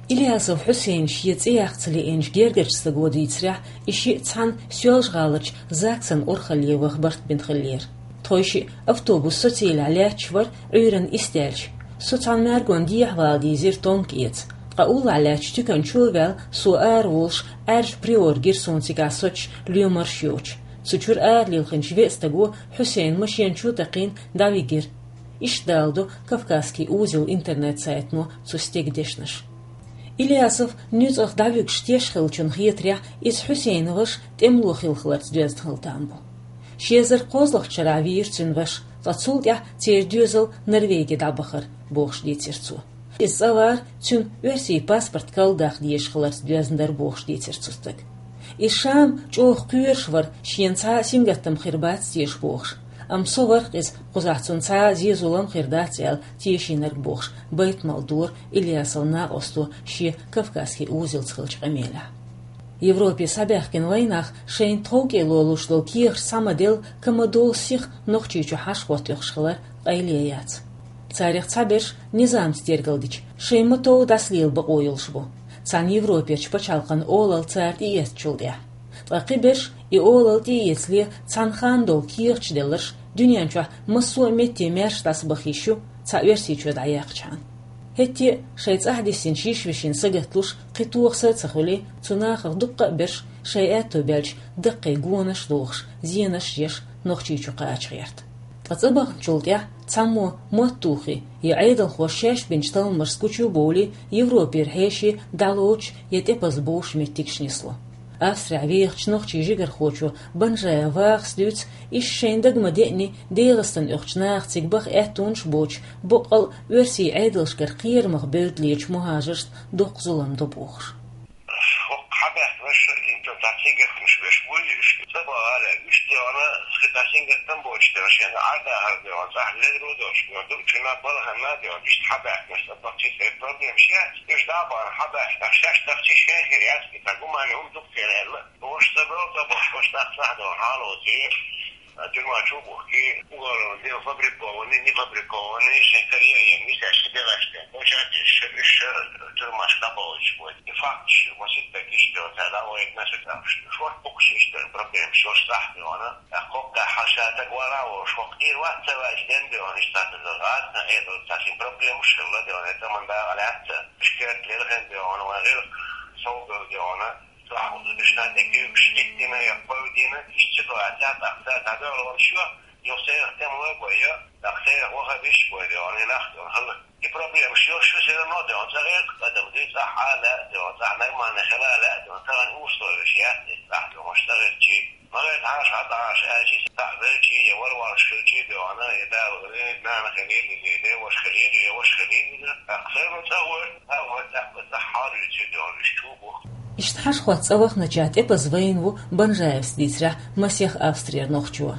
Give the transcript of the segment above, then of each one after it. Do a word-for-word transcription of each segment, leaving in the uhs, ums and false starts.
Ильясов Хьусейн шен цӀе яккха ца лиъначу гергарчу стага дийцарехь, и шиъ цхьаьна Соьлжа-ГӀаларчу ЗАГСан урхалле ваха барт бина хиллера. Тхойшиъ автобус со цӀийлахь лаьтташ вара, Ӏуьйранна исс даьлча. Со цхьана маьргонна дехьавала дийзира тонка эца. Ткъа уллохь лаьттачу туьканчо а ваьлла, со ара волуш, Ӏаьржа Приор гира суна цигахь соцуш, лоьмарш йоцуш. Цу чуьра ара лилхинчу веа стага Хьусейн машен чу а такхийна дӀавигира. Иштта даладо «Кавказский узел» интернет-сайтано цу стеган дешнаш. Ильясов нуьцкъах дӀавуьгуш теш хиллачунна хетарехь, иза Хьусейнан ваша тӀемало хилла хиларца доьзна хилла там бу. Ши эзар кхозлагӀчу шарахь вийра цуьнан ваша, ткъа цул тӀаьхьа церан доьзал Норвеге дӀабахара, бохуш дийцира цо. Иза цӀа вара, цуьнан оьрсийн паспорт карладаккха дезаш хиларца доьзна дара, бохуш дийцира цу стага. Иза Шам чӀогӀа кхоьруш вара, шена цхьа а сингаттам хир бац теша бохуш. Амма со вара-кх иза, кхузахь цунна цхьа а зен-зулам хир дац аьлла тешийнарг, бохуш, байтамал дора Ильясовн накъосто шен «Кавказский узелца» хиллачу къамелехь. Европе схьабаьхкина вайнах шайна тховкӀело луш долу кехаташ схьа ма-делла, ка ма-долу сиха Нохчийчу хьашхӀотта оьхуш хилар къайле яц. Царах цхьаберш низамца тергалдича, шайн ма-тов дӀасалела бакъо йолуш бу, цхьана Европерчу пачхьалкхан олалла цара тӀеэцначул тӀаьхьа. Ткъа кхиберш и олалла тӀеэцале цхьана ханна долу кехаташ делларш дуьнен чохь массо а метте маьрша дӀасабаха йиш ю, цхьа Оьрсийчоь дӀаяьккхичхьана. ХӀетте а шайн цӀахь диссинчу йиш-вешин са гаталуш кхин тоха са а ца хуьлий, цу нахах дуккха а берш шайн аьтто баьлча даккхий гонаш а дохуш, зенаш а еш, Нохчийчу кхача гӀерта. Ткъа цӀа бахначул тӀаьхьа цхьаммо мотт тухий, я Ӏедалхоша шаьш бинчу талламашца гучу а бовлий, Европера хьеший дӀалоцуш я тӀепаза бовш меттигаш нисло. Австрехь вехачу нохчийн жигархочо Банжаев Вахас дуьйцу, иштта шайна дага ма-деъний, ДегӀастана оьхучу наха цига баха аьттонаш а боцуш, боккъал а оьрсийн Ӏедалшкара кхерамах бевдда лелачу мухӀажаршна доккха зулам до бохуш. ХӀокху хьабаьхкинарш, цхьа сингаттамаш беш буй уьш, цӀа бахала уьш, тӀе вахана, хи цхьа сингаттам боцуш дара, шена Ӏадда хӀара де ван, цӀахь лерро дош, ван, дукха чуьнан балханна де ван, иштта хьабаьхкинарш цӀа бахчи, церан проблемаш яц, уьш дӀа а бахана хьабаьхкинарш, шаьш дахчи шайн хир яц, и цхьа гуманный хӀума дукха хир аьлла. Ош ца бел, ца бохуш, ош тӀаккха сахьа дала хьалоций, тюрьма чу бухкий, уголовное дело фабрикованный, нефабрикованный, шайн карьера ен, нисеш, дегӀаш де. Ош а теш, уьш тюрьмаш кабалчу бой. И факташ, маситтак иштта, цара вайт насу там. Шорт букхаш иштта проблема, шош сахьа де вана. Кхокка хьал ша таг вара волуш, хӀокху ир вац ца ваьлча, ден де вана, иштта тӀе дагӀа, цхьа эдо, цхьа шин проблемаш хилла де вана, тӀаман дагӀа лаьцна. Шкерт лерхен де вана, ван гӀирх, сов бел де вана. Сахьа дешна тӀе куьйгаш, иттина я кхойдина, иштта ситуация тӀаккха дӀадоьлла ван шо, юха сайх тем лой бой я, тӀаккха сайх ваха виш бой де вана, и нах де вана, хала. И проблемаш йош шу все равно де вана, цӀа гӀерта адам де, цӀахь а лаьа де вана, цӀахь нормально хила лаьа де вана, тахана условиеш яц, цӀахь де вана, цӀа гӀерчи. Ма гӀерта хьаша, хьа тӀаьхьа аьлчи, цӀахь велчи, я варвараш хилчи де вана, я Дала вели, нана хилийла, я де ваша хилийла, я ваша хилийла, тӀаккха все равно цӀа гӀерта, цӀа гӀерта, тӀаккха цӀахь хьалуьйцу де вана, уьш чу бу. Иштта хьашхӀотта цӀа вахначех тӀепаза вайна ву Банжаевс дийцарехь масех Австрера нохчо.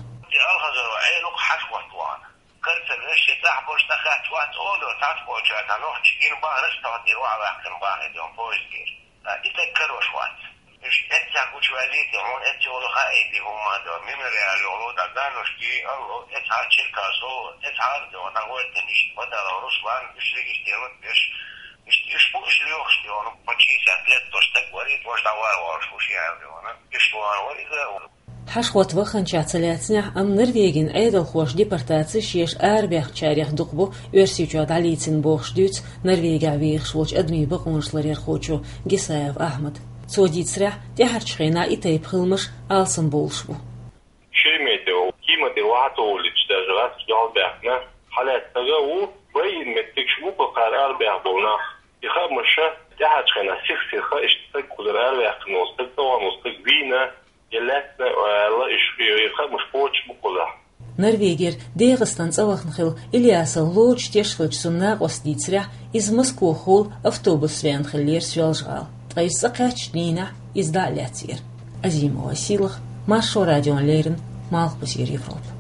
Алхазарова Ӏелукх хьашхӀотта вахана. Карцер вешши тӀехь болуш тӀахаьчча вац олура, цхьацца болчара цхьа нохча гина бахараш тохна тӀера ваха ваьккхина бахи дон поездера. И тӀе карош вац. Уьш эццехь гучуваьллий те, хьуна эццехь йолу хаийти хӀумма до, мемориал йолу, да ганушки, алло, эцхьа Черкасо, эцхьа до, дагӀойтина иштта, Бадалов Руслан, уьш регистрировать беш, иштта, уьш бу, уьш лоьхуш де вана, почти сет лет дош стаг варий, тхош дӀавар волуш ву ши аьлла де вана. Уьш ван вара иза. Хьашхот ваханчех ца лаьцнехь, амма Норвегин Ӏедалхоша депортаци шеша арабаьхначарех дукха бу Оьрсийчохь дӀалийцина бохуш дуьйцу Норвегехь вехаш волчу адамийн бакъонаш ларъярхочо Гисаев Ахьмада. Цо дийцарехь, тӀаьхьарчу хенахь и тайпа хиламаш алсамбовлуш бу. Шереметьево, Кима тӀера ваха ца воллича, даже гӀазкхаша дуьхьал баьхкина, хьалаьцна стага а ву, байина меттигаш бу кхара арабаьхна болу нах. И хаамаш тӀаьхьарчу хенахь сих-сиха иштта стаг кхузара араваьккхина волу стаг, тӀе вахана волу стаг вийна, я лаьцна аьлла, уьш, и хаамаш кхочуш бу кхузахь. Норвегера ДегӀастан цӀа вахана хилла Ильясов лоцуш теш хиллачу цуьнан накъоста дийцарехь, иза Москвахула автобусца веана хиллера Соьлжа-ГӀала. Ткъа иза цӀа кхаьчначу дийнахь иза дӀа а лаьцнера. Азимова Сийлаха, Маршо радиона леррина, Малхбузера Европа.